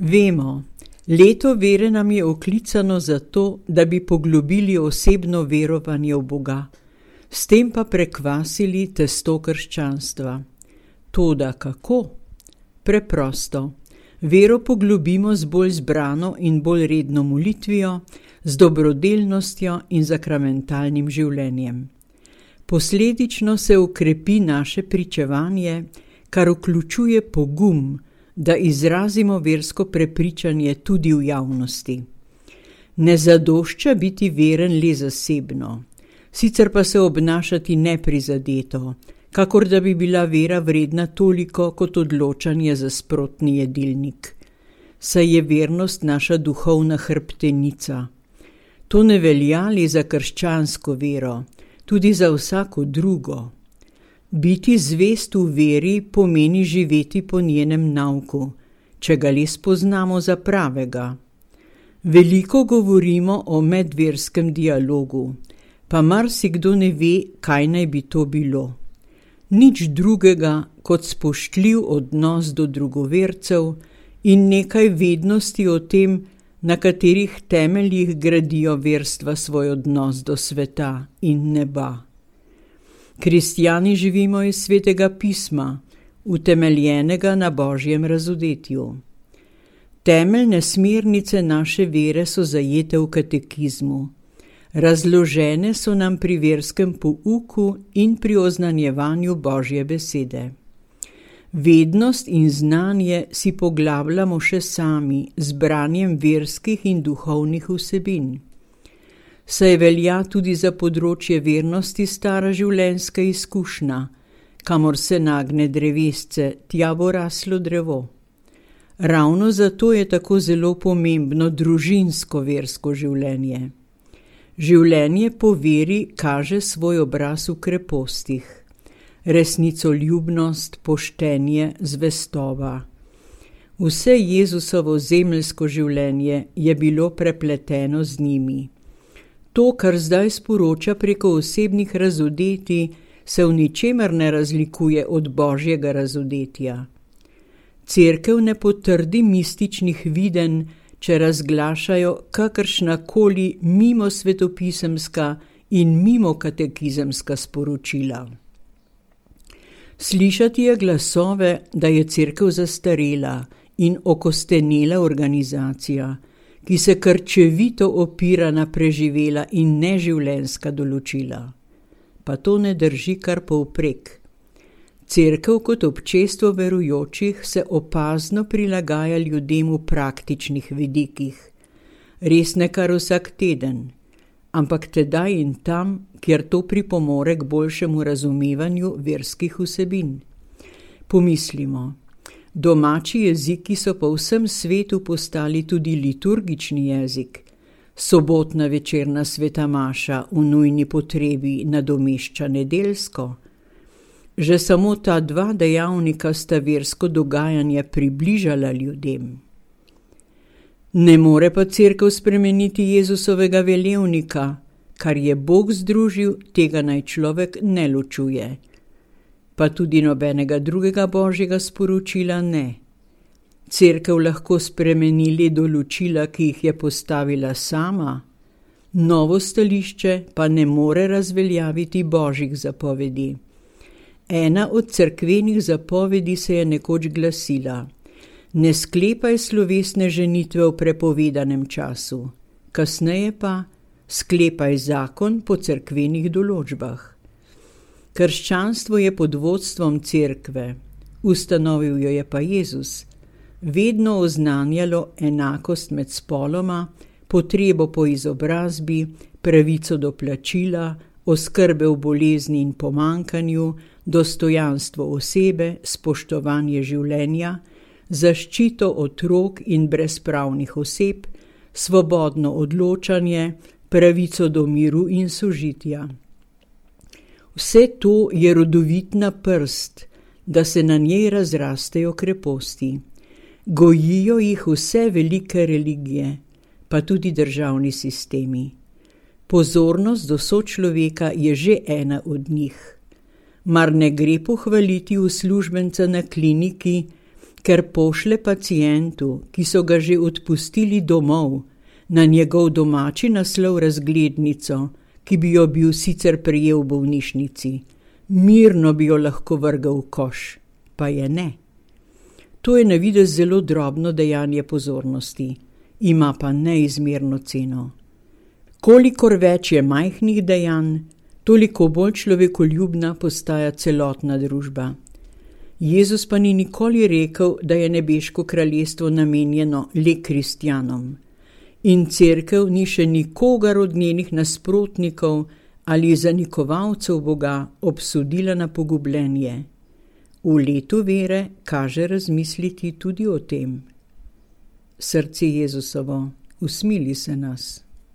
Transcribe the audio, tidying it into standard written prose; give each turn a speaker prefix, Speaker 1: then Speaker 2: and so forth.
Speaker 1: Vemo, leto vere nam je oklicano zato, da bi poglobili osebno verovanje v Boga, s tem pa prekvasili testo krščanstva. Toda kako? Preprosto. Vero poglobimo z bolj zbrano in bolj redno molitvijo, z dobrodelnostjo in zakramentalnim življenjem. Posledično se ukrepi naše pričevanje, kar vključuje pogum, da izrazimo versko prepričanje tudi v javnosti. Ne zadošča biti veren le zasebno, sicer pa se obnašati neprizadeto, kakor da bi bila vera vredna toliko kot odločanje za sprotni jedilnik. Saj je vernost naša duhovna hrbtenica. To ne velja le za krščansko vero, tudi za vsako drugo. Biti zvest v veri pomeni živeti po njenem nauku, če ga le spoznamo za pravega. Veliko govorimo o medverskem dialogu, pa marsikdo ne ve, kaj naj bi to bilo. Nič drugega kot spoštljiv odnos do drugovercev in nekaj vednosti o tem, na katerih temeljih gradijo verstva svoj odnos do sveta in neba. Kristjani živimo iz Svetega pisma, utemeljenega na Božjem razodetju. Temeljne smernice naše vere so zajete v katekizmu. Razložene so nam pri verskem pouku in pri oznanjevanju Božje besede. Vednost in znanje si poglabljamo še sami z branjem verskih in duhovnih vsebin. Saj velja tudi za področje vernosti stara življenjska izkušnja, kamor se nagne drevesce, tja bo raslo drevo. Ravno zato je tako zelo pomembno družinsko versko življenje. Življenje po veri kaže svoj obraz v krepostih. Resnicoljubnost, poštenje, zvestoba. Vse Jezusovo zemeljsko življenje je bilo prepleteno z njimi. To, kar zdaj sporoča preko osebnih razodetij, se v ničemer ne razlikuje od Božjega razodetja. Cerkev ne potrdi mističnih videnj, če razglašajo kakršnakoli mimo svetopisemska in mimo katekizemska sporočila. Slišati je glasove, da je cerkev zastarela in okostenela organizacija, ki se krčevito opira na preživela in neživljenjska določila. Pa to ne drži kar povprek. Cerkev kot občestvo verujočih se opazno prilagaja ljudem v praktičnih vidikih. Res ne kar vsak teden, ampak tedaj in tam, kjer to pripomore k boljšemu razumevanju verskih vsebin. Pomislimo, domači jeziki so po vsem svetu postali tudi liturgični jezik. Sobotna večerna sveta maša v nujni potrebi nadomešča nedeljsko. Že samo ta dva dejavnika sta versko dogajanje približala ljudem. Ne more pa cerkev spremeniti Jezusovega velevnika, kar je Bog združil, tega naj človek ne ločuje. Pa tudi nobenega drugega Božjega sporočila ne. Cerkev lahko spremeni le določila, ki jih je postavila sama, novo stališče pa ne more razveljaviti Božjih zapovedi. Ena od cerkvenih zapovedi se je nekoč glasila: ne sklepaj slovesne ženitve v prepovedanem času, kasneje pa sklepaj zakon po cerkvenih določbah. Krščanstvo je pod vodstvom cerkve, ustanovil jo je pa Jezus, vedno oznanjalo enakost med spoloma, potrebo po izobrazbi, pravico do plačila, oskrbe v bolezni in pomanjkanju, dostojanstvo osebe, spoštovanje življenja, zaščito otrok in brezpravnih oseb, svobodno odločanje, pravico do miru in sožitja. Vse to je rodovitna prst, da se na njej razrastejo kreposti. Gojijo jih vse velike religije, pa tudi državni sistemi. Pozornost do sočloveka je že ena od njih. Mar ne gre pohvaliti uslužbenca na kliniki, ker pošle pacientu, ki so ga že odpustili domov, na njegov domači naslov razglednico, ki bi jo bil sicer prejel v bolnišnici. Mirno bi jo lahko vrgel v koš, pa je ne. To je na videz zelo drobno dejanje pozornosti, ima pa neizmerno ceno. Kolikor več je majhnih dejanj, toliko bolj človekoljubna postaja celotna družba. Jezus pa ni nikoli rekel, da je nebeško kraljestvo namenjeno le kristjanom. In cerkev ni še nikogar od njenih nasprotnikov ali zanikovalcev Boga obsodila na pogubljenje. V letu vere kaže razmisliti tudi o tem. Srce Jezusovo, usmili se nas.